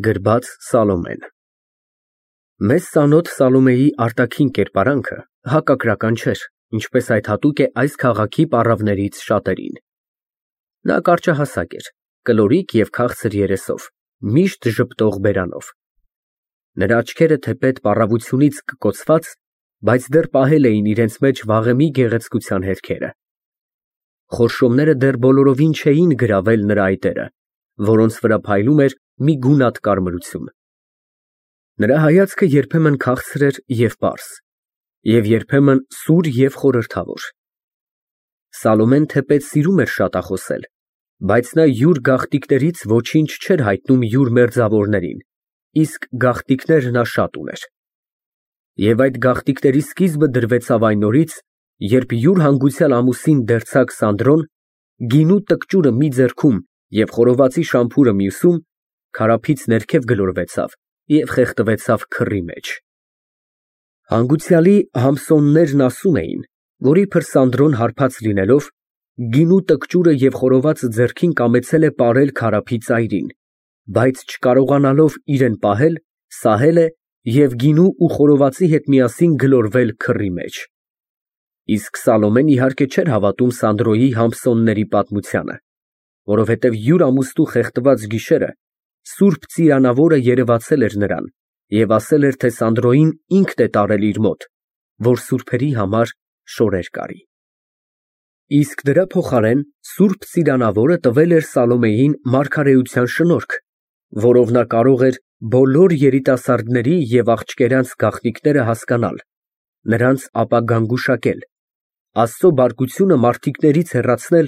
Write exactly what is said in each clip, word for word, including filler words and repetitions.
Գրված Սալոմեն Մեզ ծանոթ Սալոմեի արտաքին կերպարանքը հակակրական չէր, ինչպես այդ հատուկ է այս քաղաքի պառավներից շատերին։ Նա կարճահասակ էր, կլորիկ և քաղցր երեսով, միշտ ժպտող բերանով։ Նրա աչքերը թեպետ պառավությունից կկոցված, բայց դեռ պահել էին իրենց մեջ վաղեմի գեղեցկության հետքերը։ Խորշոմները դեռ բոլորովին չէին գրավել նրա այտերը, որոնց վրա փայլում էր մի գունատ կարմրություն։ Նրա հայացքը երբեմն քաղցր էր և պարզ, և երբեմն սուր և խորհրդավոր։ Սալոմեն թեպետ սիրում էր շատախոսել, բայց նա յուր գաղտնիքներից ոչինչ չէր հայտնում յուր մերձավորներին, իսկ գաղտնիքներ նա շատ ուներ։ Եվ այդ գաղտնիքների սկիզբը դրվեցավ այն օրից, երբ յուր հանգուցյալ ամուսին դերձակ Սանդրոն, գինու տկճուրը մի ձեռքում և խորովածի շամփուրը մյուսում, քարափից ներքև գլորվեցավ և խեղդվեցավ քռի մեջ։ Հանգուցյալի համսոններն ասում էին, որ իբր Սանդրոն հարբած լինելով, գինու տկճուրը և խորովածը ձեռքին կամեցել է պարել քարափի ծայրին, բայց չկարողանալով իրան պահել, սահել է և գինու ու խորովածի հետ միասին գլորվել քռի մեջ։ Իսկ Սալոմեն իհարկե չէր հավատում Սանդրոյի համսոնների պատմությանը, որովհետև յուր ամուսնու խեղդված գիշերը սուրբ ծիրանավորը երևացել էր նրան և ասել էր, թե Սանդրոյին ինքն է տարել իր մոտ, որ սուրբերի համար շորեր կարի։ Իսկ դրա փոխարեն սուրբ ծիրանավորը տվել էր Սալոմեյին մարգարեության շնորհք, որով նա կարող էր բոլոր երիտասարդների և աղջկերանց գաղտնիքները հասկանալ, նրանց ապագան գուշակել, Աստծո բարկությունը մարդիկներից հեռացնել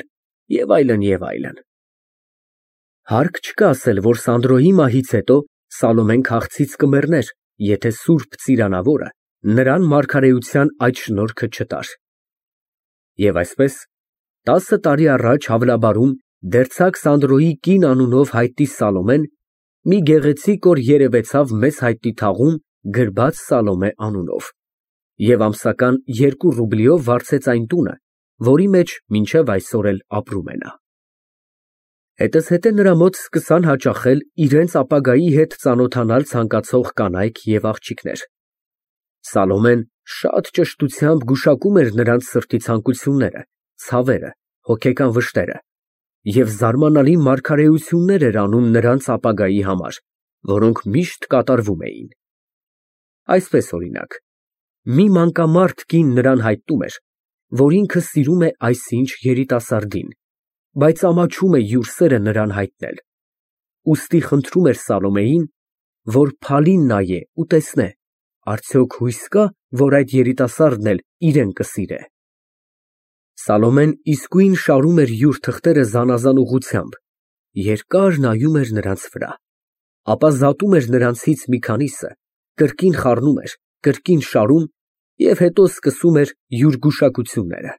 և այլն, և այլն։ Հարկ չկա ասել, որ Սանդրոյի մահից հետո Սալոմեն քաղցից կմեռներ, եթե սուրբ ծիրանավորը նրան մարգարեության այդ շնորհքը չտար։ Եվ այսպես, տասը տարի առաջ Հավլաբարում դերձակ Սանդրոյի կին անունով հայտնի Սալոմեն մի գեղեցիկ օր երևեցավ մեզ հայտնի թաղում գրված Սալոմե անունով և ամսական երկու ռուբլիով վարձեց այն տունը, որի մեջ մինչև այսօր էլ ապրում է նա։ Հետզհետե նրա մոտ սկսան հաճախել իրենց ապագայի հետ ծանոթանալ ցանկացող կանայք և աղջիկներ։ Սալոմեն շատ ճշտությամբ գուշակում էր նրանց սրտի ցանկությունները, ցավերը, հոգեկան վշտերը և զարմանալի մարգարեություններ էր անում նրանց ապագայի համար, որոնք միշտ կատարվում էին։ Այսպես, օրինակ, մի մանկամարդ կին նրան հայտնում էր, որ ինքը սիրում է այսինչ երիտասարդին, բայց ամաչում է յուր սերը նրան հայտնել, ուստի խնդրում էր Սալոմեյին, որ փալին նայե ու տեսնե, արդյոք հույս կա, որ այդ երիտասարդն էլ իրան կսիրե։ Սալոմեն իսկույն շարում էր յուր թղթերը զանազան ուղղությամբ, երկար նայում էր նրանց վրա, ապա զատում էր նրանցից մի քանիսը, կրկին խառնում էր, կրկին շարում և հետո սկսում էր յուր գուշակությունները.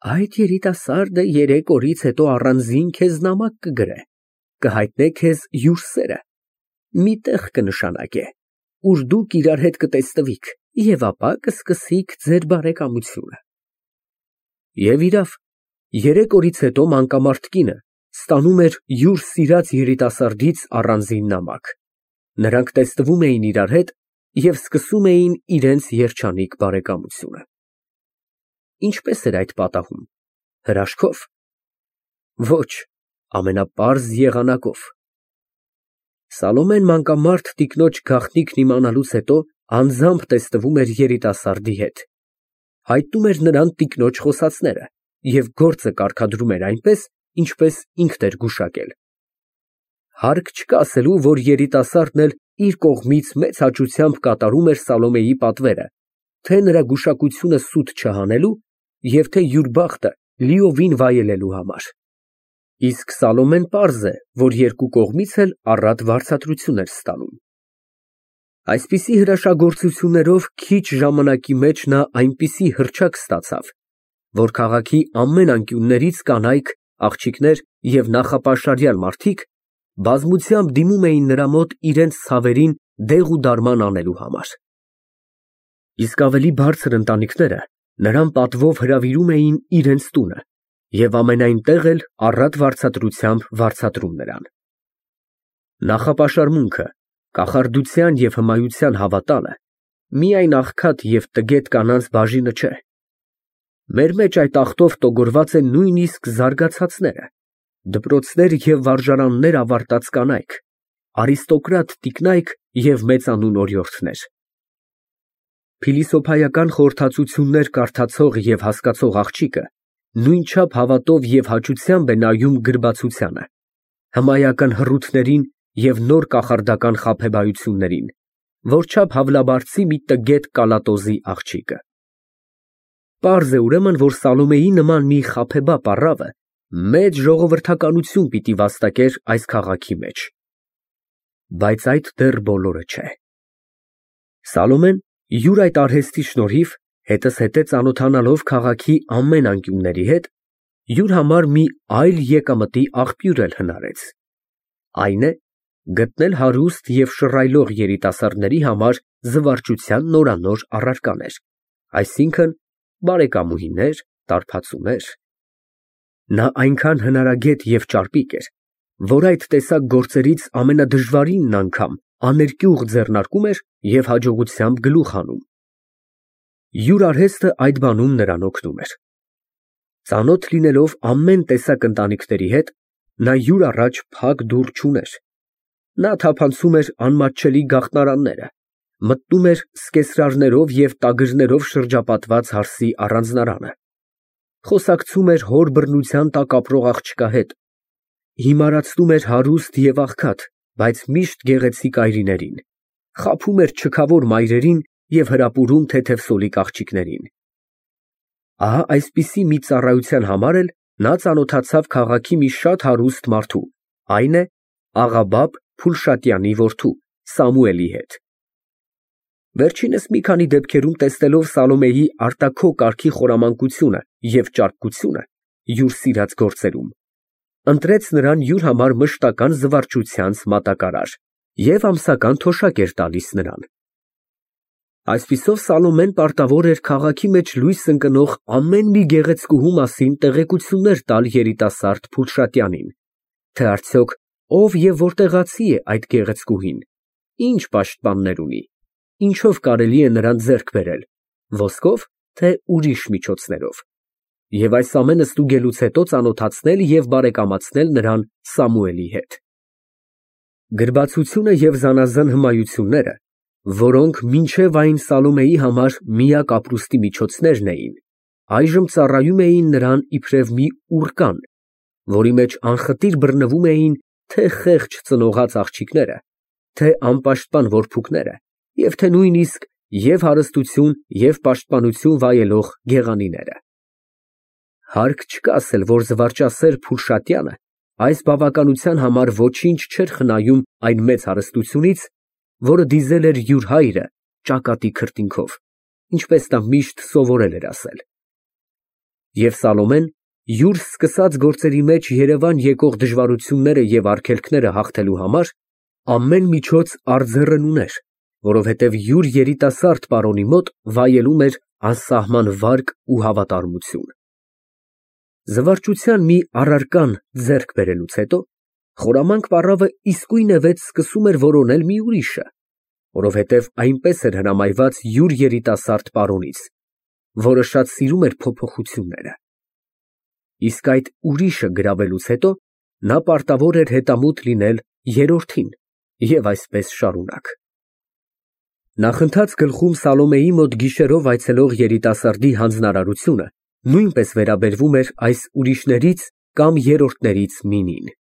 Այդ երիտասարդը երեք օրից հետո առանձին քեզ նամակ կգրե, կհայտնե քեզ յուր սերը, մի տեղ կնշանակե, ուր դուք իրար հետ կտեսնվիք և ապա կսկսիք ձեր բարեկամությունը։ Եվ իրավ, երեք օրից հետո մանկամարդ կինը ստանում էր յուր սիրած երիտասարդից առանձին նամակ, նրանք տեսնվում էին իրար հետ և սկսում էին իրենց երջանիկ բարեկամությունը։ Ինչպե՞ս էր այդ պատահում, հրաշքո՞վ։ Ոչ, ամենապարզ եղանակով։ Սալոմեն մանկամարդ տիկնոջ գաղտնիքն իմանալուց հետո անձամբ տեսնվում էր երիտասարդի հետ, հայտնում էր նրան տիկնոջ խոսածները և գործը կարգադրում էր այնպես, ինչպես ինքն էր գուշակել։ Հարկ չկա ասելու, որ երիտասարդն էլ իր կողմից մեծ հաճությամբ կատարում էր Սալոմեյի պատվերը, թե նրա գուշակությունը սուտ չհանելու և թե յուր բախտը լիովին վայելելու համար։ Իսկ Սալոմեն պարզ է, որ երկու կողմից էլ առատ վարձատրություն էր ստանում։ Այսպիսի հրաշագործություններով քիչ ժամանակի մեջ նա այնպիսի հռչակ ստացավ, որ քաղաքի ամեն անկյուններից կանայք, աղջիկներ և նախապաշարյալ մարդիկ բազմությամբ դիմում էին նրա մոտ իրենց ցավերին դեղ ու դարման անելու համար։ Իսկ ավելի բարձր ընտանիքները նրան պատվով հրավիրում էին իրենց տունը և ամենայն տեղ էլ առատ վարձատրությամբ վարձատրում նրան։ Նախապաշարմունքը, կախարդության և հմայության հավատալը միայն աղքատ և տգետ կանանց բաժինը չէ։ Մեր մեջ այդ աղտով տոգորված են նույնիսկ զարգացածները, դպրոցներ և վարժարաններ ավարտած կանայք, արիստոկրատ տիկնայք և մեծանուն օրիորդներ։ Փիլիսոփայական խորհրդածություններ կարդացող և հասկացող աղջիկը նույնչափ հավատով և հաճությամբ է նայում գրբացությանը, հմայական հռութներին և նոր կախարդական խաբեբայություններին, որչափ հավլաբարձի մի տգետ կալատոզի աղջիկը։ Պարզ է ուրեմն, որ Սալոմեի նման մի խաբեբա պառավը մեծ ժողովրդականություն պիտի վաստակեր այս քաղաքի մեջ։ Բայց այդ դեռ բոլորը չէ։ Սալոմեն յուր այդ արհեստի շնորհիվ, հետզհետե ծանոթանալով քաղաքի ամեն անկյունների հետ, յուր համար մի այլ եկամտի աղբյուր էլ հնարեց, այն է, գտնել հարուստ և շռայլող երիտասարդների համար զվարճության նորանոր առարկաներ, այսինքն՝ բարեկամուհիներ, տարբացուներ։ Նա այնքան հնարագետ և ճարպիկ էր, որ այդ տեսակ գործերից ամենադժվարինն անգամ աներկյուղ ձեռնարկում էր և հաջողությամբ գլուխ հանում։ Յուր արհեստը այդ բանում նրան օգնում էր։ Ծանոթ լինելով ամեն տեսակ ընտանիքների հետ, նա յուր առաջ փակ դուռ չուներ։ Նա թափանցում էր անմատչելի գաղտնարանները, մտնում էր սկեսրարներով և տագրներով շրջապատված հարսի առանձնարանը, խոսակցում էր հոր բռնության տակ ապրող աղջկա հետ, հիմարացնում էր հարուստ և աղքատ, բայց միշտ գեղեցիկ այրիներին, խաբում էր չքավոր մայրերին և հրապուրում թեթևսոլիկ աղջիկներին։ Ահա այսպիսի մի ծառայության համար էլ նա ծանոթացավ քաղաքի մի շատ հարուստ մարդու, այն է աղաբաբ Փուլշատյանի որդու Սամուելի հետ։ Վերջինս մի քանի դեպքերում տեսնելով Սալոմեի արտաքո կարգի խորամանկությունը և ճարպկությունը յուր սիրած գործերում, ընտրեց նրան յուր համար մշտական զվարճությանց մատակարար և ամսական թոշակ էր տալիս նրան։ Այսպիսով Սալոմեն պարտավոր էր քաղաքի մեջ լույս ընկնող ամեն մի գեղեցկուհու մասին տեղեկություններ տալ երիտասարդ Փուլշատյանին, թե արդյոք ով և որտեղացի է այդ գեղեցկուհին, ինչ պաշտպաններ ունի, ինչով կարելի է նրան ձեռք բերել, ոսկով, թե ուրիշ միջոցներով, և այս ամենը ստուգելուց հետո ծանոթացնել և բարեկամացնել նրան Սամուելի հետ։ Գրբացությունը և զանազան հմայությունները, որոնք մինչև այն Սալոմեի համար միակ ապրուստի միջոցներն էին, այժմ ծառայում էին նրան իբրև մի ուռկան, որի մեջ անխտիր բռնվում էին թե խեղճ ծնողաց աղջիկները, թե անպաշտպան որբուքները և թե նույնիսկ և հարստություն և պաշտպանություն վայելող գեղանիները։ Հարկ չկա ասել, որ զվարճասեր Փուլշատյանը այս բավականության համար ոչինչ չէր խնայում այն մեծ հարստությունից, որը դիզել էր յուր հայրը ճակատի քրտինքով, ինչպես նա միշտ սովորել էր ասել։ Եվ Սալոմեն յուր սկսած գործերի մեջ երևան եկող դժվարությունները և արգելքները հաղթելու համար ամեն միջոց արձեռն ուներ, որովհետև յուր երիտասարդ պարոնի մոտ վայելում էր անսահման վարկ ու հավատարմություն։ Զվարճության մի առարկան ձեռք բերելուց հետո խորամանկ պառավը իսկույնևեթ սկսում էր որոնել մի ուրիշը, որովհետև այնպես էր հրամայված յուր երիտասարդ պարոնից, որը շատ սիրում էր փոփոխությունները։ Իսկ այդ ուրիշը գրավելուց հետո նա պարտավոր էր հետամուտ լինել երրորդին և այսպես շարունակ։ Նախընթաց գլխում Սալոմեի մոտ գիշերով այցելող երիտասարդի հանձնարարությունը նույնպես վերաբերվում էր այս ուրիշներից կամ երրորդներից մինին։